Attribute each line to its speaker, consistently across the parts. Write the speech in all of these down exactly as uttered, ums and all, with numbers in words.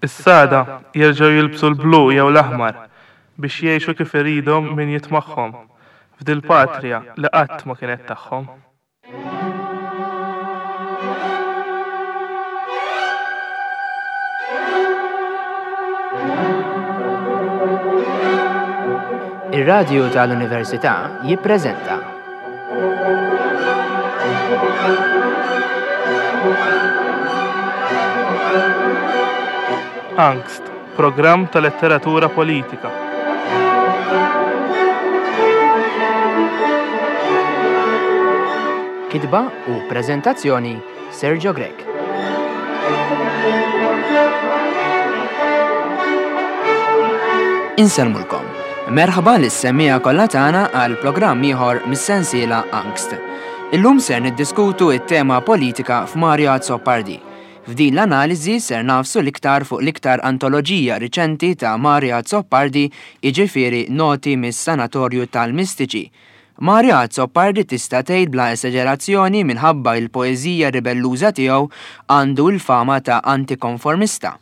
Speaker 1: Issa għada jerġgħu jilbsu l-blu jew l-aħmar biex jgħixu kif iridhom min jitmagħhom f'dil-patria li qatt ma kienet tagħhom.
Speaker 2: Ir-Radju tal-Università jippreżenta
Speaker 1: Angst, programm ta' letteratura politika.
Speaker 2: Kitba u preżentazzjoni Sergio Grech. Insellmulkom. Merħba lis-semmiegħa kollha tagħna għal programm ieħor mis-sensiela Angst. Illum ser niddiskutu it-tema politika f'Mario Azzopardi. F'din l-analiżi ser nagħfsu l-iktar fuq l-iktar antoloġija riċenti ta' Mario Azzopardi, jiġifieri Noti mis-Sanatorju tal-Mistiċi. Mario Azzopardi tista' tgħid bla esaġerazzjoni minħabba l-poeżija ribelluża tiegħu għandu l-fama ta' antikonformista.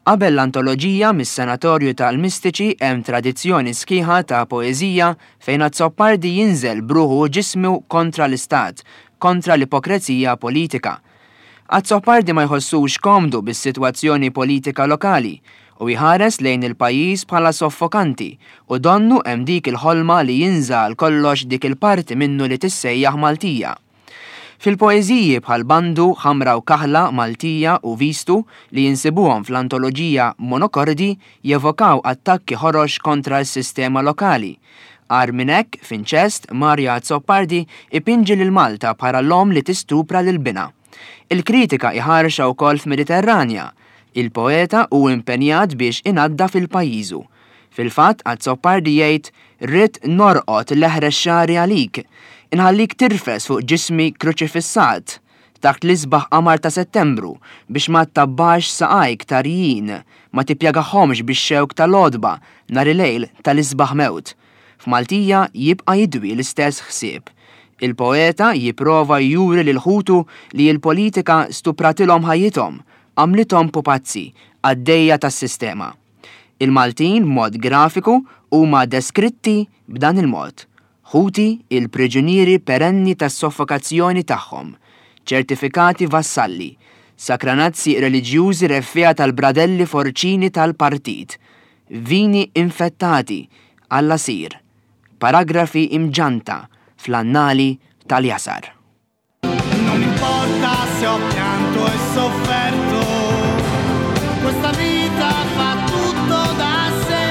Speaker 2: Qabel l-antoloġija mis-Sanatorju tal-Mistiċi hemm tradizzjoni sħiħa ta' poeżija fejn Azzopardi jinżel b'ruħu u ġismu kontra l-istat, kontra l-ipokrezija politika. Azzopardi ma jħossux komdu bis-sitwazzjoni politika lokali u jħares lejn il-pajjiż bħala soffokanti u donnu hemm dik il-ħolma li jinża għal kollox dik il-parti minnu li tissejjaħ Maltija. Fil-poeżiji bħal Bandu, Ħamra u Kaħla, Maltija u Vistu li jinsibuhom fl-antoloġija Monokordi jevokaw attakki ħorox kontra s-sistema lokali. Agħar minn hekk, f'Inċest, Mario Azzopardi ipinġi lil Malta bħala l-omm li tistupra lil binha. Il-kritika iħarxa wkoll f'Mediterranja. Il-poeta hu impenjat biex inaddaf il-pajjiżu. Fil-fatt, Azzopardi jgħid, Rrid norqod l-eħrex xagħri għalik, inħallik tirfes fuq ġismi kruċifissat, taħt l-isbaħ qamar ta' Settembru, biex ma ttabbax saqajk tarjin, ma tippjagahomx bix-xewk tal-għodba nhar il-lejl tal-isbaħ mewt. F'Maltija jibqa' jidwi l-istess ħsieb. Il-poeta jipprova juri lil ħutu li l-politika stupratilhom ħajjithom, għamlithom pupazzi, għaddejja tas-sistema. Il-Maltin b'mod grafiku huma deskritti b'dan il-mod. Ħuti il-priġunieri perenni tas-soffokazzjoni tagħhom, ċertifikati vassalli, sakranazzi reliġjużi reffiegħa tal-bradelli forċini tal-partit, vini infettati għall-asir, paragrafi imġanta fl-annali tal-jasar.
Speaker 3: Non importa se ho pianto e sofferto, questa vita fa tutto da sé.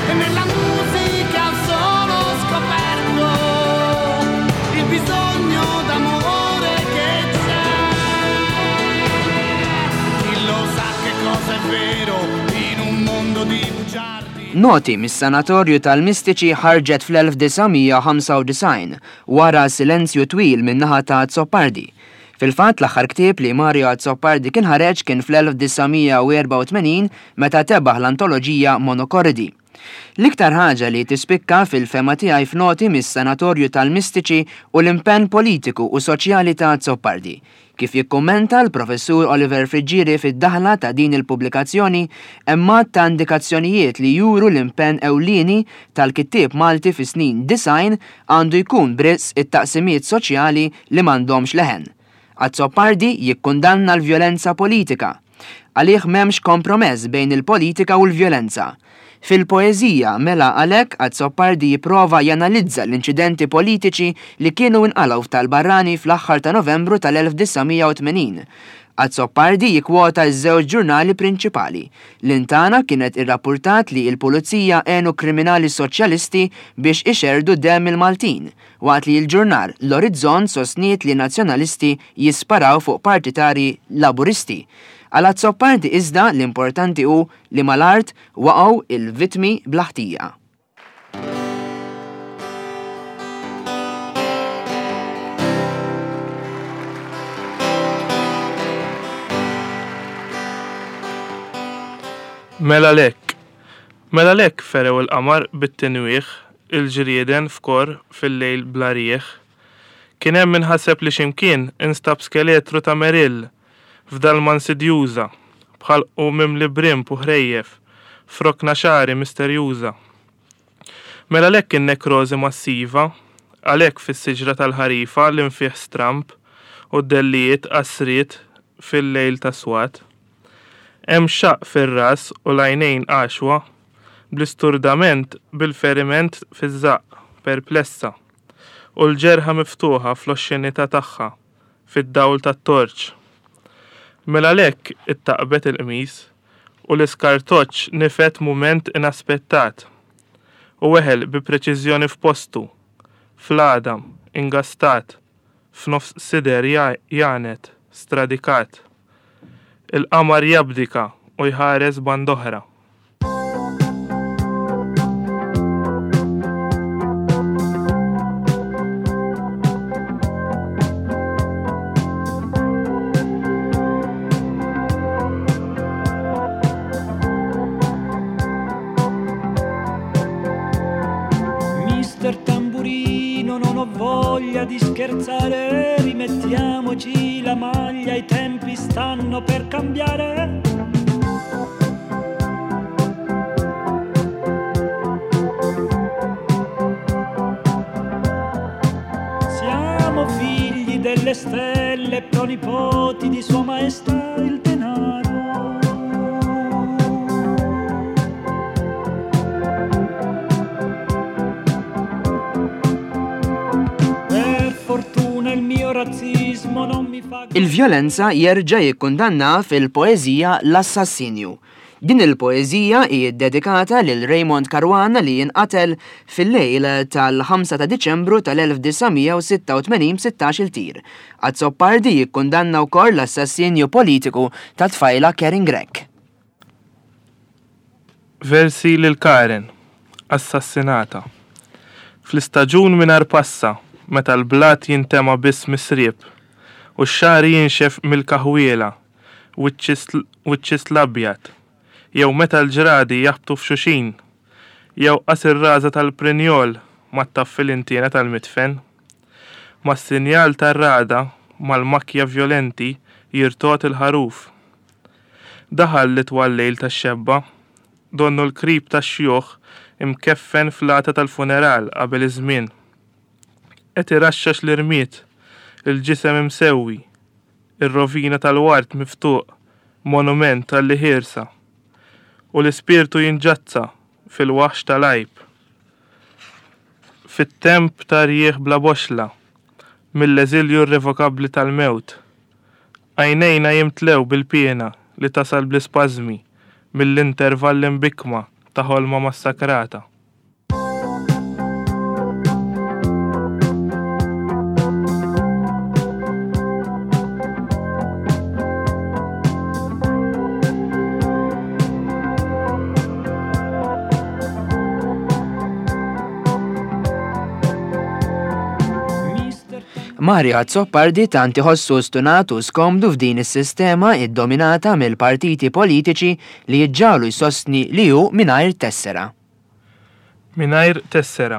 Speaker 3: E nella musica ho solo scoperto il bisogno d'amore che c'è. Chi lo sa che cosa è vero in un mondo di bugiardi.
Speaker 2: Noti mis-Sanatorju tal-Mistiċi ħarġet fl-elf disa' mija ħamsa u disgħin wara silenzju twil min-naħa ta' Azzopardi. Fil-fatt l-aħħar ktieb li Mario Azzopardi kien ħareġ kien fl-elf disa' mija u erba' u tmenin meta tebaħ l-antoloġija Monokordi. L-iktar ħaġa li tispikka fil-fema tiegħi f'Noti mis-Sanatorju tal-Mistiċi u l-impenn politiku u soċjali ta' Azzopardi. Kif jikkummenta l-professur Oliver Friggieri fid-daħla ta' din il-pubblikazzjoni, hemm għadd ta' indikazzjonijiet li juru l-impenn ewlieni tal-kittieb Malti fi snin disgħin għandu jkun b'risq it-taqsimiet soċjali li m'għandhomx leħen. Azzopardi jikkundanna l-vjolenza politika. Għalih m'hemmx kompromess bejn il-politika u l-vjolenza. Fil-poeżija mela għalhekk Azzopardi jipprova janalizza l-inċidenti politiċi li kienu inqalgħu f'Tal-Barrani fl-aħħar ta' Novembru tal-elf disa' mija u tmenin. Azzopardi jikkwota ż-żewġ ġurnali prinċipali. L-Intana kienet irrappurtat li l-pulizija għenu kriminali soċjalisti biex ixerdu demm il-Maltin, waqt li l-ġurnal L-Orizzont sostniet li nazzjonalisti jisparaw fuq partitari laburisti. Għal Azzopardi iżda l-importanti hu li mal-art waqgħu il-vitmi bl-ħtija.
Speaker 1: Mela lek. Mela lek ferew il-qamar bit-tinwieħ, il-ġrieden f'kor fil-lejl bla rieħ. Kien hemm min ħaseb li x'imkien instab skeletru ta' Merill f'dalma insidjuża, b'ħalqu mimli brimb u ħrejjef, f'rokna xagħri misterjuża. Mela għalhekk in-nekrożi massiva, għalhekk fis-siġra tal-ħarifa l-infiħ stramb u d-dellijiet qasriet fil-lejl ta' swat. Hemm xaqq fir-ras u l-għajnejn għaxwa, bl-isturdament bil-feriment fiż-żaqq, perplessa, u l-ġerħa miftuħa fl-oxxenità tagħha, fid-dawl tat-torċ. Mela għalhekk ittaqbet il-qmis u l-iskartoċċ nifed mument inaspettat u weħel bi preċiżjoni f'postu, fl-għadam, ingastat, f'nofs sider janet, stradikat. Il-qamar jabdika u jħares band'oħra.
Speaker 3: Mister Tamburino, non ho voglia di scherzare, rimettiamoci la maglia, i tempi stanno per cambiare. Siamo figli delle stelle, pronipoti di Sua Maestà il denaro.
Speaker 2: Il-vjolenza jerġa' jikkundanna fil-poeżija L-Assassinju. Din il-poeżija hi ddedikata lil Raymond Caruana li jinqatel fil-lejl tal-ħamsa ta' Diċembru tal-elf disa' mija u sitta u tmenin b'sittax-il tir. Azzopardi jikkundanna wkoll l-assassinju politiku ta' tfajla Karin Grech.
Speaker 1: Versi lil Karen, assassinata. Fl-istaġun mingħajr passa, meta l-blat jintema biss misrib, u x-xagħar jinxef mill-kaħwiela u ċ-ċist l-abjad, jew meta l-ġradi jaħbtu f'xuxin, jew qas ir-raża tal-prinjol ma ttaffi l-intiena tal-mitfen. Mas-sinjal tar-rada mal-makja vjolenti jirtot il-ħaruf. Daħal li twal lejl tax-xebba, donnu l-krib tax-xjuħ imkeffen fl-għata tal-funeral qabel iż-żmien. Qed iraxxax l-irmied, il-ġisem imsewwi, ir-rovina tal-ward miftuq, monument tal-liħirsa, u l-ispirtu jinġazza fil-waħx tal-għajb. Fit-temp ta' rjieħ bla boxla, mill-eżilju irrevokabbli tal-mewt, għajnejna jimtlew bil-piena li tasal bl-ispażmi mill-intervalli mbikma ta' ħolma massakrata.
Speaker 2: Mario Azzopardi tant iħossu stunat u skomdu f'din is-sistema iddominata mill-partiti politiċi li jiġġalu jsostni li hu mingħajr tessera.
Speaker 1: Mingħajr tessera.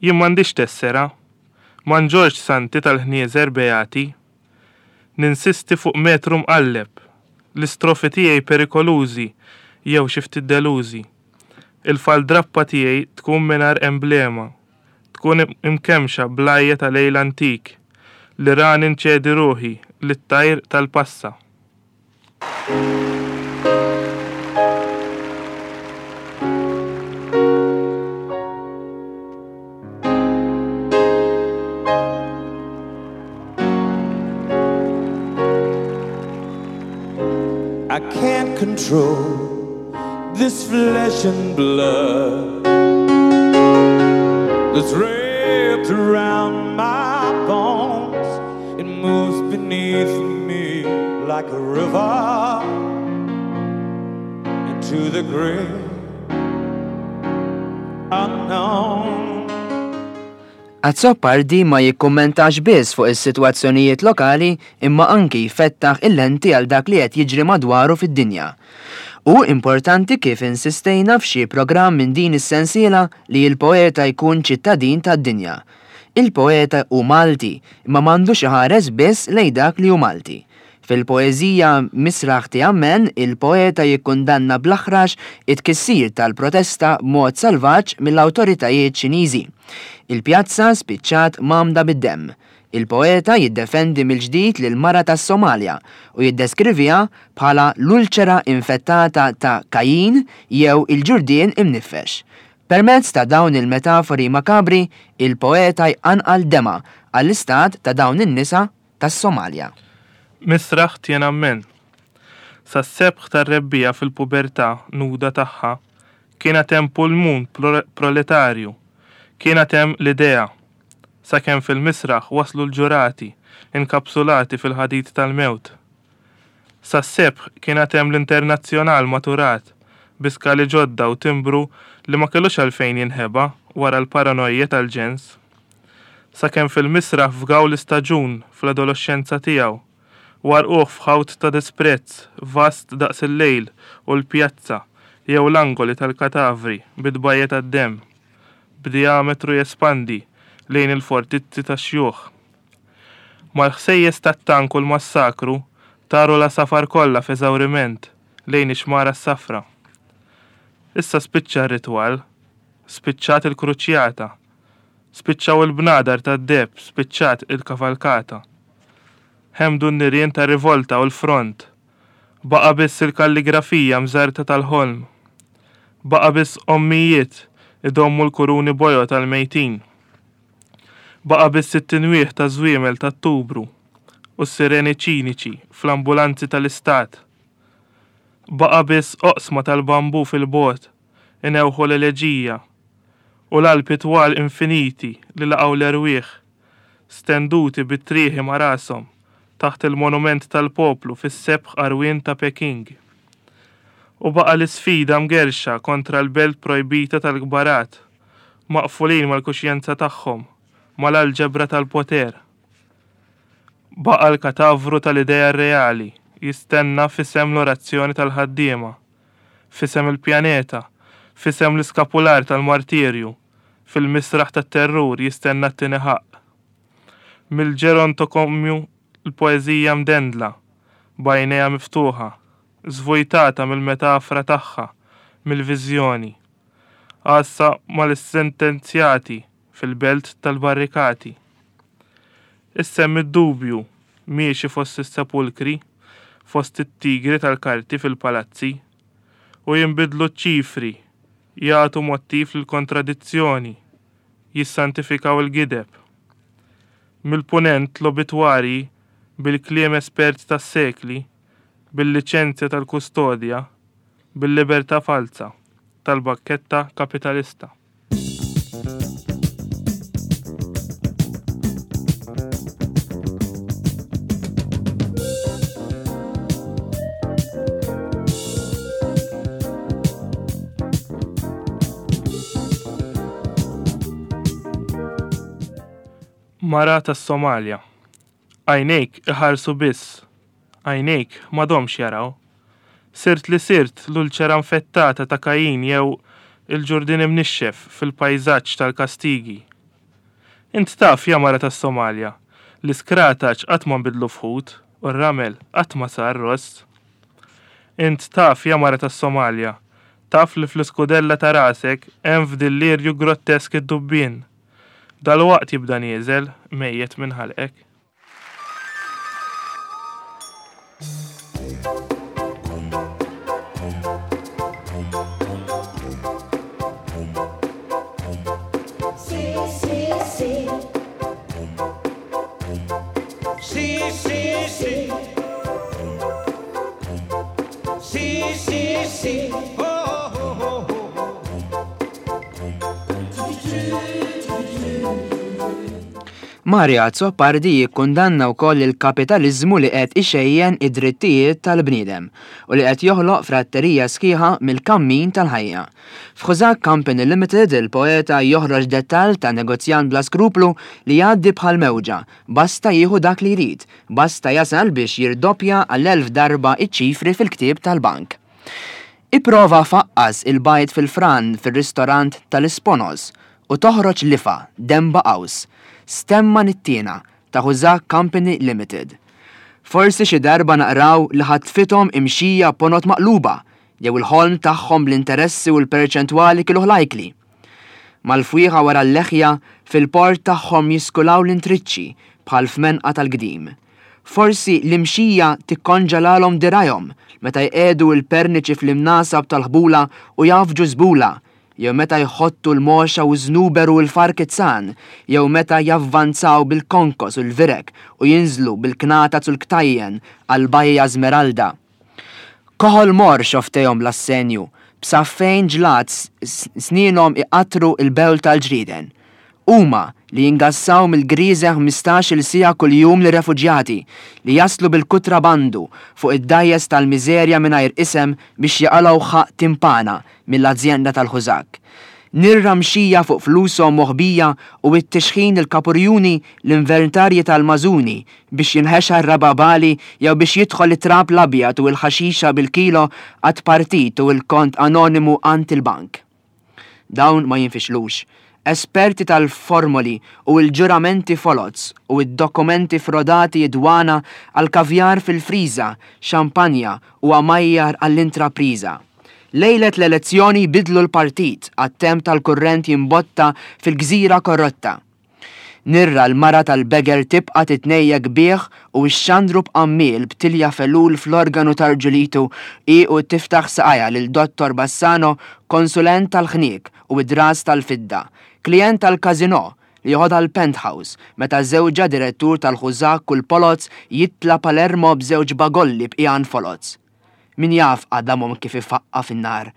Speaker 1: Jien m'għandix tessera, ma nġorx santi tal-ħnieżer beati. Ninsisti fuq metru mqalleb, l-istrofi tiegħi perikolużi jew xi ftit delużi. Il-faldrappa tiegħi tkun mingħajr emblema, tkun imkemxa blajja ta' lejl antik li rani nċedi ruħi lit-tajr tal-passa.
Speaker 3: I can't control this flesh and blood that's wrapped around my bones. It moves beneath me like a river into the great unknown.
Speaker 2: Azzopardi ma jikkummentax biss fuq is-sitwazzjonijiet lokali imma anki jfettaħ il-lenti għal dak li qed jiġri madwaru fid-dinja. U importanti kif insistejna f'xi programm minn din is-sensiela li l-poeta jkun ċittadin tad-dinja. Il-poeta hu Malti, imma m'għandux iħares biss lejn dak li hu Malti. Fil-poeżija Misraħ Tiananmen, il-poeta jikkundanna bl-aħrax it-tkissir tal-protesta b'mod salvaġġ mill-awtoritajiet Ċiniżi. Il-pjazza spiċċat mgħammda bid-demm. Il-poeta jiddefendi mill-ġdid lil mara tas-Somalja u jiddeskriviha bħala l-ulċera infettata ta' Kajin jew il-ġurdien imnifex. Permezz ta' dawn il-metafori makabri, il-poeta jqanqal dema għall-istat ta' dawn in-nisa tas-Somalja.
Speaker 1: Misraħ Tiananmen. Sas-sebħ tar-rebbiegħa fil-pubertà nuda tagħha kien hemm pulmun proletarju, kien hemm l-idea. Sakemm fil-misraħ waslu l-ġurati, inkapsulati fil-ħadid tal-mewt. Sas-sebħ kien hemm l-internazzjonal maturat, bi skali ġodda u timbru li ma kellux għalfejn jinħeba wara l-paranoja tal-ġens. Sakemm fil-misraħ fgaw l-istaġun fl-adolescenza tiegħu, warquh f'ħawt ta' disprezz vast daqs il-lejl u l-pjazza jew l-angoli tal-katavri bit-tbajja tad-demm, b'diametru jespandi lejn il-fortizzi tax-xjuħ. Mal-ħsejjes tat-tank u l-massakru taru la safar kollha f'eżawriment lejn ix-xmara s-safra. Issa spiċċa r-ritwal, spiċċat il-kruċjata, spiċċaw il-bnadar tad-deb, spiċċat il-kavalkata. Ħemdu n-nirien ta' rivolta u l-front. Baqa biss il-kalligrafija mżerta tal-ħolm. Baqa biss ommijiet idommu l-kuruni bojod tal-mejtin. Baqa biss it-tinwieħ ta' żwiemel tat-tubru u s-sireni ċiniċi fl-ambulanzi tal-istat. Baqa biss oqsma tal-bambu fil-bot inewħu l-eleġija u l-alpi twal infiniti li laqgħu l-erwieħ stenduti bit-trieħi ma' rashom taħt il-monument tal-poplu fis-sebħ arwien ta' Peking. U baqa l-isfida mgerxa kontra l-belt projbita tal-kbarat, maqfulin mal-kuxjenza tagħhom, mal-alġebra tal-poter. Baqa l-katavru tal-idea reali jistenna fisem l-orazzjoni tal-ħaddiema, fisem il-pjaneta, fisem l-iskapular tal-martirju, fil-misraħ tat-terrur jistenna t-tieni ħaqq. Mill-ġerontokomju l-poeżija mdendla, b'għajnejha miftuħa, żvujtata mill-metafra tagħha, mill-viżjoni. Għassa mal-sentenzjati fil-belt tal-barrikati. Issem id-dubju miexi fost is-sepulkri, fost it-tigri tal-karti fil-palazzi, u jinbidlu ċ-ċifri, jagħtu mottiv lill-kontradizzjoni, jissantifikaw il-gideb. Mill-punent l-obitwarji bil-kliem espert tas-sekli, bil-liċenzja tal-kustodja, bil-libertà falsa tal-bakketta kapitalista. Mara tas-Somalja. Għajnejk iħarsu biss, għajnejk m'għadhomx jaraw. Sirt li sirt l-ulċera infettata ta' Kajin jew il-ġurdien imnixxef fil-pajżaġġ tal-Kastigi. Int taf ja mara tas-Somalja, li skrataċ qatt ma nbidlu f'ħut u r-ramel qatt ma sar ross. Int taf ja mara tas-Somalja, taf li fl-iskudella ta' rasek hemm f'dillirju grottesk id-dubbien. Dalwaqt jibda nieżel mejjet minn ħalqek.
Speaker 4: Sì, sì, sì. Sì, sì, sì. Sì, sì, sì. Oh, oh, oh, oh.
Speaker 2: Mario Azzopardi jikkundanna wkoll il-kapitaliżmu li qed ixejjen id-drittijiet tal-bniedem u li qed joħloq fratterija sħiħa mill-kammin tal-ħajja. F'Husak Company Limited il-poeta joħroġ dettall ta' negozjant bla skruplu li jgħaddi bħal mewġa, basta jieħu dak li jrid, basta jasal biex jirdoppja għall-elf darba iċ-ċifri fil-ktieb tal-bank. Ipprova faqqas il-bajd fil-fran fir-ristorant tal-Isponos u toħroġ lifa demba qaws. Stemma nittiena ta' Husak Company Limited. Forsi xi darba naqraw li ħatfithom imxija ponot maqluba jew il-ħolm tagħhom bl-interessi u l-perċentwali kielu ħlajkli. Mal-fwieħa wara l-leħja fil-port tagħhom jiskulaw l-intriċċi bħal f'menqa tal-qdim. Forsi l-imxija tikkonġalalhom dirajhom meta jqegħdu l-perniċi fl-imnasab tal-ħbula u jafġu żbula, jew meta jħottu l-moxa u żnuber u l-farkizzan, jew meta javvanzaw bil-konkos u l-virek u jinżlu bil-knata u l-ktajjen għal-bajja Smeralda. Koħol mor xoftejhom l-assenju, b'saffejn ġlat snienhom iqatru il-bewl tal-ġrieden. Huma li jingassaw mill-griże ħmistax-il siegħa kuljum lir-refuġjati li jaslu bil-kutrabandu fuq id-dajjes tal-miżerja mingħajr isem biex jaqalgħu ħaq timpana mill-azjenda tal-ħużak. Nirra mxija fuq flushom moħbija u t-tixħin il-kapurjuni l-inventarji tal-mażuni biex jinħexa r-rababali jew biex jidħol it-trab l-abjad u l-ħaxixa bil-kilo għat partit u l-kont anonimu għand il-bank. Dawn ma jinfixlux. Esperti tal-formoli u l-ġuramenti foloz u d-dokumenti frodati jidwana għal-kavjar fil-friża, xampanja u għamajjar għall-intrapriża. Lejlet l-elezzjoni bidlu l-partit għat-temp tal-kurrent jimbotta fil-gżira korrotta. Nirra l-mara tal-beger tibqa titnejjek bih u x-xandru b'qammil b'tilja felul fl-organu tarġulitu i u tiftaħ saqajja lil Dottor Bassano, konsulent tal-ħniek u id-dras tal-fidda, klient tal-kazino li joħodha l-penthouse meta żewġa direttur tal-ħużak u l-poloz jitla Palermo b'żewġ bagolli b'qiegħan foloz. Min jaf għadamhom kif ifaqqa fin-nar,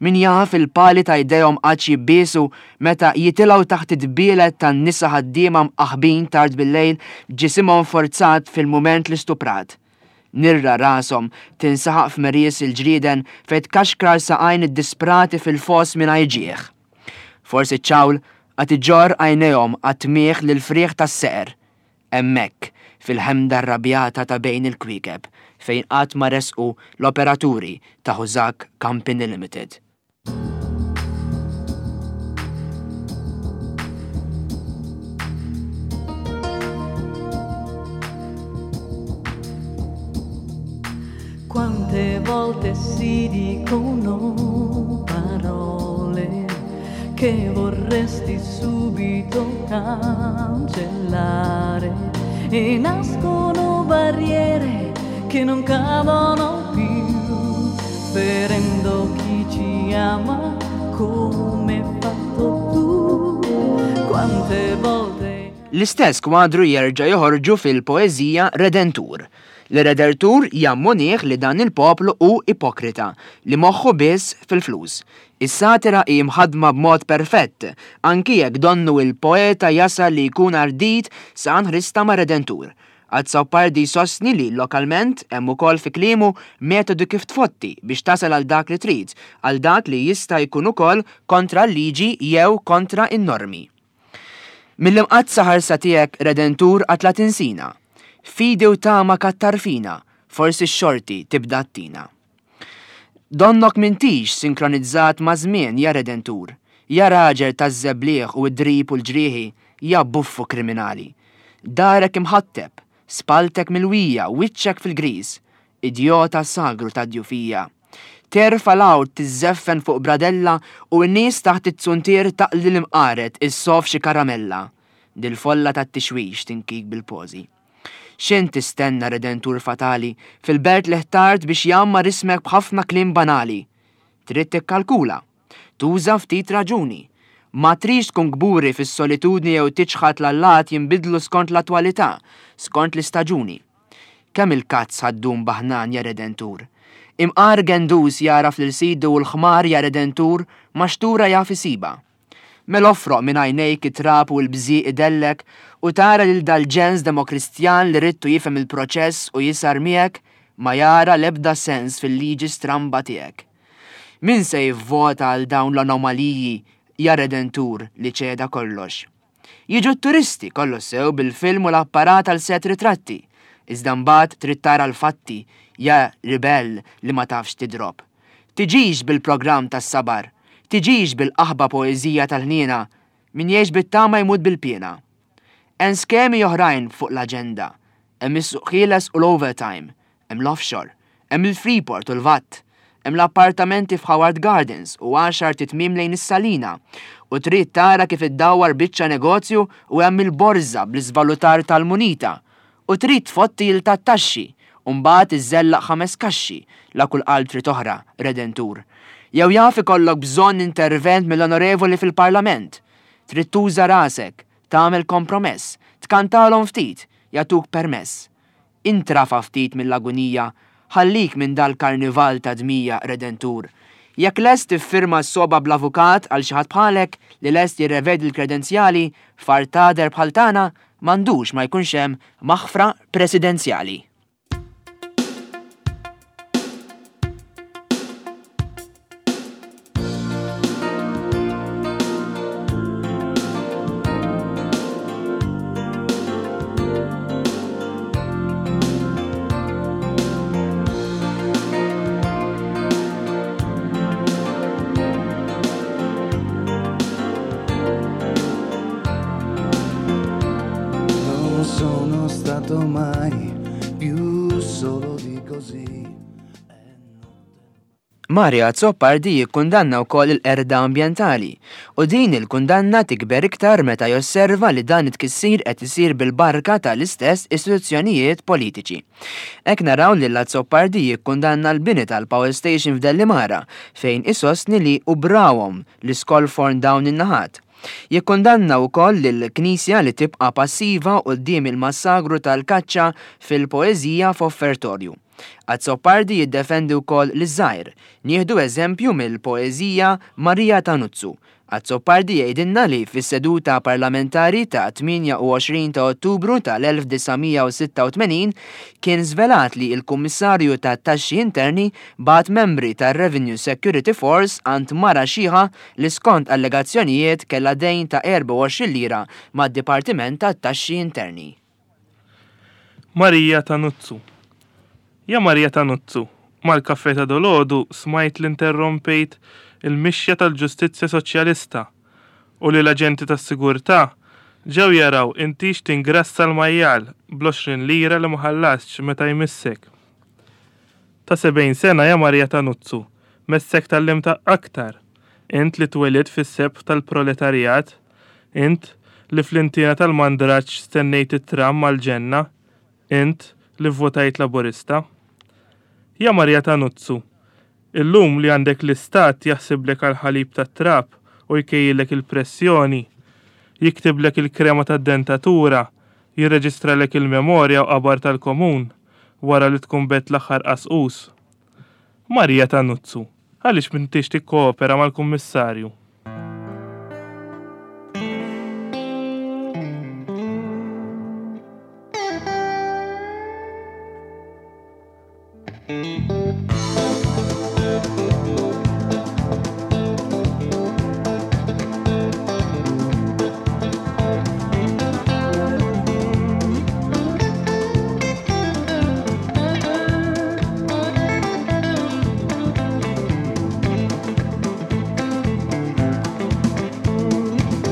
Speaker 2: min jaf il-pali ta' jdejhom qatt jibbiesu meta jitilgħu taħt id-dbielet tan-nisa ħaddiema mqaħbin tard bil-lejl b'ġisimhom forzat fil-mument li stuprat. Nirra rashom tinsaħaq f'merjes il-ġrieden fejn tkaxkar saqajn id-disprati fil-fos mingħajr ġieħ. Forsi ċ-ċawl qed iġorr għajnejhom għat-tmieħ lil frieħ tas-seqer. Hemmhekk fil-ħemda rrabjata ta' bejn il-kwiekeb fejn qatt ma resqu l-operaturi ta' Hużak Company Limited.
Speaker 5: Quante volte si dicono parole che vorresti subito cancellare e nascono barriere che non cadono più, ferendo chi ci ama come hai fatto tu. Quante volte
Speaker 2: L-istess kwadru jerġa' joħorġu fil-poeżija Redentur. L-Redentur jammonih li dan il-poplu hu ipokrita li moħħu biss fil-flus. Is-satira hi mħadma b'mod perfett, anki jekk donnu il-poeta jasal li jkun ardit sa nħrista ma' Redentur. Azzopardi sostni li lokalment hemm ukoll fi kliemu metodu kif tfotti biex tasal għal dak li trid, għal dak li jista' jkun ukoll kontra l-liġi jew kontra n-normi. Mill-imqaddsa ħarsa tiegħek Redentur qatt la tinsina. Fidi u tama kattarfina, forsi x-xorti tibda ttina. Donnok m'intix sinkronizzat ma' żmien ja Redentur, ja raġel taż-żebliħ u d-drib u l-ġrieħi, ja buffu kriminali. Darek imħatteb, spaltek milwija, wiċċek fil-griż, idjota sagru ta' djufija. Terfa l-għawd tiżżeffen fuq bradella u n-nies taħt it-tsuntier taqli l-imqaret is-sof xi karamella. Dil-folla tat-tixwix tinkik bil-pożi. X'int tistenna Redentur fatali fil-belt li ħtart biex jgħammar ismek b'ħafna kliem banali. Trid tikkalkula, tuża ftit raġuni. Ma trix tkun kburi fis-solitudni jew tiċħad l-allat jinbidlu skont l-attwalità, skont l-istaġuni. Kemm il-kazz ħaddum baħnan ja Redentur? Imqar gendus jaraf lil sidu u l-ħmar ja Redentur maxtura jaf isiba. Mela offroq minn għajnejk it-trab u l-bżieq idellek u tara lil dal-ġens demokristjan li ridtu jifhem il-proċess u jisar miegħek ma jara l-ebda sens fil-liġi stramba tiegħek. Min se jivvota għal dawn l-anomaliji ja Redentur li ċeda kollox? Jiġu t-turisti kollox sew bil-film u l-apparat għal set ritratti, iżda mbagħad trid tara l-fatti ja ribell li ma tafx tidrob. Tiġix bil-programm tas-sabar, tiġix bil-qaħba poeżija tal-ħniena, min jgħix bit-tama jmut bil-piena. Hemm skemi oħrajn fuq l-aġenda, Hemm is-suq ħieles u l-overtime, hemm l-offshore, hemm il-Freeport u l-V A T, hemm l-appartamenti f'Howard Gardens u għaxar titmim lejn is-Salina, u trid tara kif iddawwar biċċa negozju u hemm il-borża bl-iżvalutar tal-munita, u trid tfotti il tat-taxxi, u mbagħad iżżellaq ħames kaxxi la kull qalb trid oħra, Redentur. Jew jaf ikollok bżonn intervent mill-onorevoli fil-Parlament. Trid tuża rasek, tagħmel kompromess, tkantalhom ftit, jagħtuk permess. Intrafa ftit mill-agunija, ħallik minn dal-karnival ta' dmija, Redentur. Jekk lest tiffirma s-soba bl-avukat għal xi ħadd bħalek li lest jirrevedi l-kredenzjali, fartader bħal tagħna m'għandux ma jkunx hemm maħfra presidenzjali.
Speaker 6: Non sono stato mai più solo di così.
Speaker 2: Mario Azzopardi jikkundanna wkoll il-qerda ambjentali u din il-kundanna tikber iktar meta josserva li dan it-tkissir qed isir bil-barka tal-istess istituzzjonijiet politiċi. Hekk naraw li l-Azzopardi jikkundanna l-bini tal-Power Station f'Dellimara fejn isostni li ubrawhom l-iskolforn dawn in-naħat. Jikkundanna wkoll lill-Knisja li tibqa' passiva quddiem il-massagru tal-kaċċa fil-poeżija f'offertorju. Azzopardi jiddefendi wkoll liż-żgħir. Nieħdu eżempju mill-poeżija Marija Tanuzzu. Azzopardi jgħidilna li fis-seduta parlamentari ta' tmienja u għoxrin ta' Ottubru tal-elf disa' mija u sitta u tmenin kien żvelat li l-Kummissarju tat-Taxxi Interni bagħat membri tar-Revenue Security Force għand mara xiħa li skont allegazzjonijiet kellha dejn ta' erbgħa u għoxrin lira mad-Dipartiment tat-Taxxi Interni.
Speaker 1: Marija Tanuzzu. Ja Marija Tanuzzu, mal-kaffè ta' dolodu smajt li interrompejt il-mixja tal-ġustizzja soċjalista u li l-aġenti tas-sigurtà ġew jaraw intix tingrassa l-majjal bl-għoxrin lira li ma ħallasx meta jmissek. Ta' sebgħin sena ja Marija Tanuzzu, messek tgħallimta aktar. Int li twelidt fis-sebħ tal-proletarjat, int li fl-intina tal-mandraġġ stennejt it-tram mal-ġenna, int li votajt laburista. Ja Marija Tanuzzu, illum li għandek l-istat jaħsiblek għal ħalib tat-trab u jkejjilek il-pressjoni, jiktiblek il-krema tad-dentatura, jirreġistralek il-memorja u qabar tal-komun wara li tkun bet l-aħħar qasqus. Marija Tanuzzu, għaliex m'intix tikkoopera mal-kummissarju?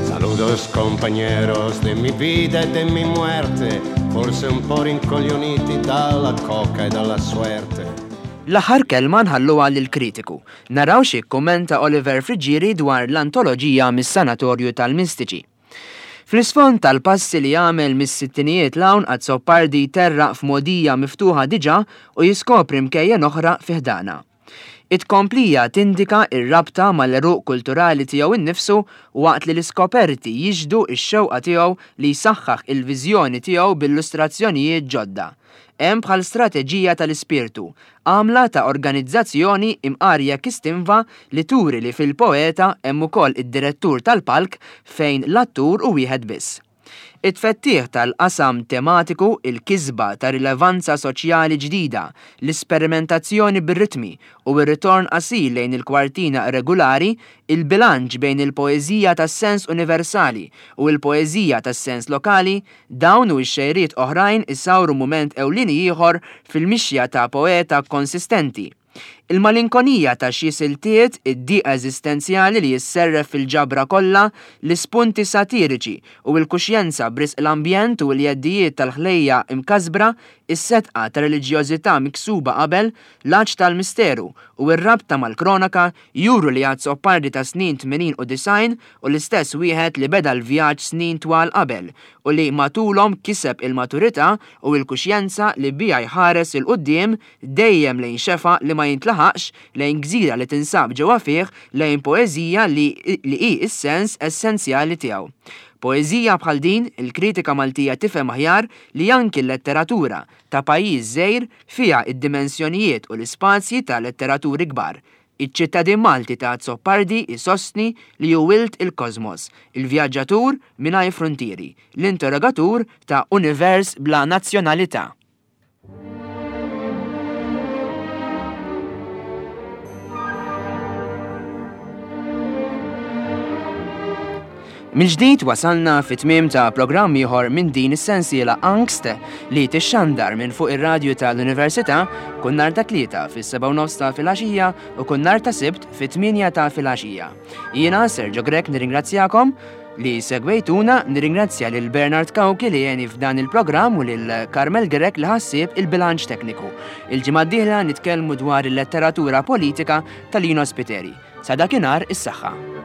Speaker 4: Saludos compañeros de mi vida e de mi muerte, forse un po' rincoglioniti dalla coca e dalla suerte.
Speaker 2: L-aħħar kelma nħalluha lill-kritiku. Naraw xi kummenta Oliver Friggieri dwar l-antoloġija mis-Sanatorju tal-Mistiċi. Fl-isfond tal-passi li jagħmel mis-sittinijiet 'l hawn Azzopardi jterraq f'modija miftuħa diġà u jiskopri mkejjen oħra fi ħdana. It-komplija tindika ir-rabta mal-eruq kulturali tiegħu innifsu waqt li l-iskoperti jixhdu x-xewqa tiegħu li jsaħħaħ il-viżjoni tiegħu b'illustrazzjonijiet ġodda. Hemm bħal strateġija tal-ispirtu, għamla ta' organizzazzjoni imqarja kistinva li turi li fil-poeta hemm ukoll id-direttur tal-palk fejn l-attur hu wieħed biss. It-tfettieħ tal-qasam tematiku, il-kisba ta' rilevanza soċjali ġdida, l-isperimentazzjoni bir-ritmi u r-ritorn qasir lejn il-kwartina regolari, il-bilanċ bejn il-poeżija tas-sens universali u l-poeżija tas-sens lokali, dawn u x-xejriet oħrajn isawru mument ewlieni ieħor fil-mixja ta' poeta konsistenti. Il-malinkonija ta' xi siltiet, id-diqa eżistenzjali li jisserref fil-ġabra kollha, l-ispunti satiriċi u l-kuxjenza b'risq l-ambjent u l-jeddijiet tal-ħlejja imkasbra, is-setqa ta' reliġjożità miksuba qabel, l-għatx tal-misteru u r-rabta mal-kronaka juru li Azzopardi ta' snin tmenin u disgħin u l-istess wieħed li beda l-vjaġġ snin twal qabel u li matulhom kiseb il-maturità u l-kuxjenza li biha jħares 'il quddiem dejjem lejn xefa li ma jintlaħaqx, lejn gżira li tinsab ġewwa fih, lejn poeżija li li hi s-sens essenzjali tiegħu. Poeżija bħal din, il-kritika Maltija tifhem aħjar li anki l-letteratura ta' pajjiż żgħir fiha id-dimensjonijiet u l-ispazji ta' letteraturi kbar. Iċ-ċittadin Malti ta' Azzopardi isostni li hu wild il-kosmos, il-vjaġġatur mingħajr frontieri, l-interrogatur ta' univers bla nazzjonalità. Mill-ġdid wasalna fit-tmiem ta' programm ieħor minn din is-sensiela Angst li tixxandar minn fuq ir-radju tal-Università kull nhar ta' Tlieta fis-sebgħa u nofs ta' filgħaxija u kull nhar ta' Sibt fit-tmienja ta' filgħaxija. Jiena Sergio Grech nirringrazzjakom li segwejtuna, nirringrazzja lil Bernard Cauchi li għeni f'dan il-programm u lil Carmel Grech li ħassieb il-bilanċ tekniku. Il-ġimgħa d-dieħla nitkellmu dwar il-letteratura politika ta' Lino Spiteri. Sa dakinhar is-saħħa.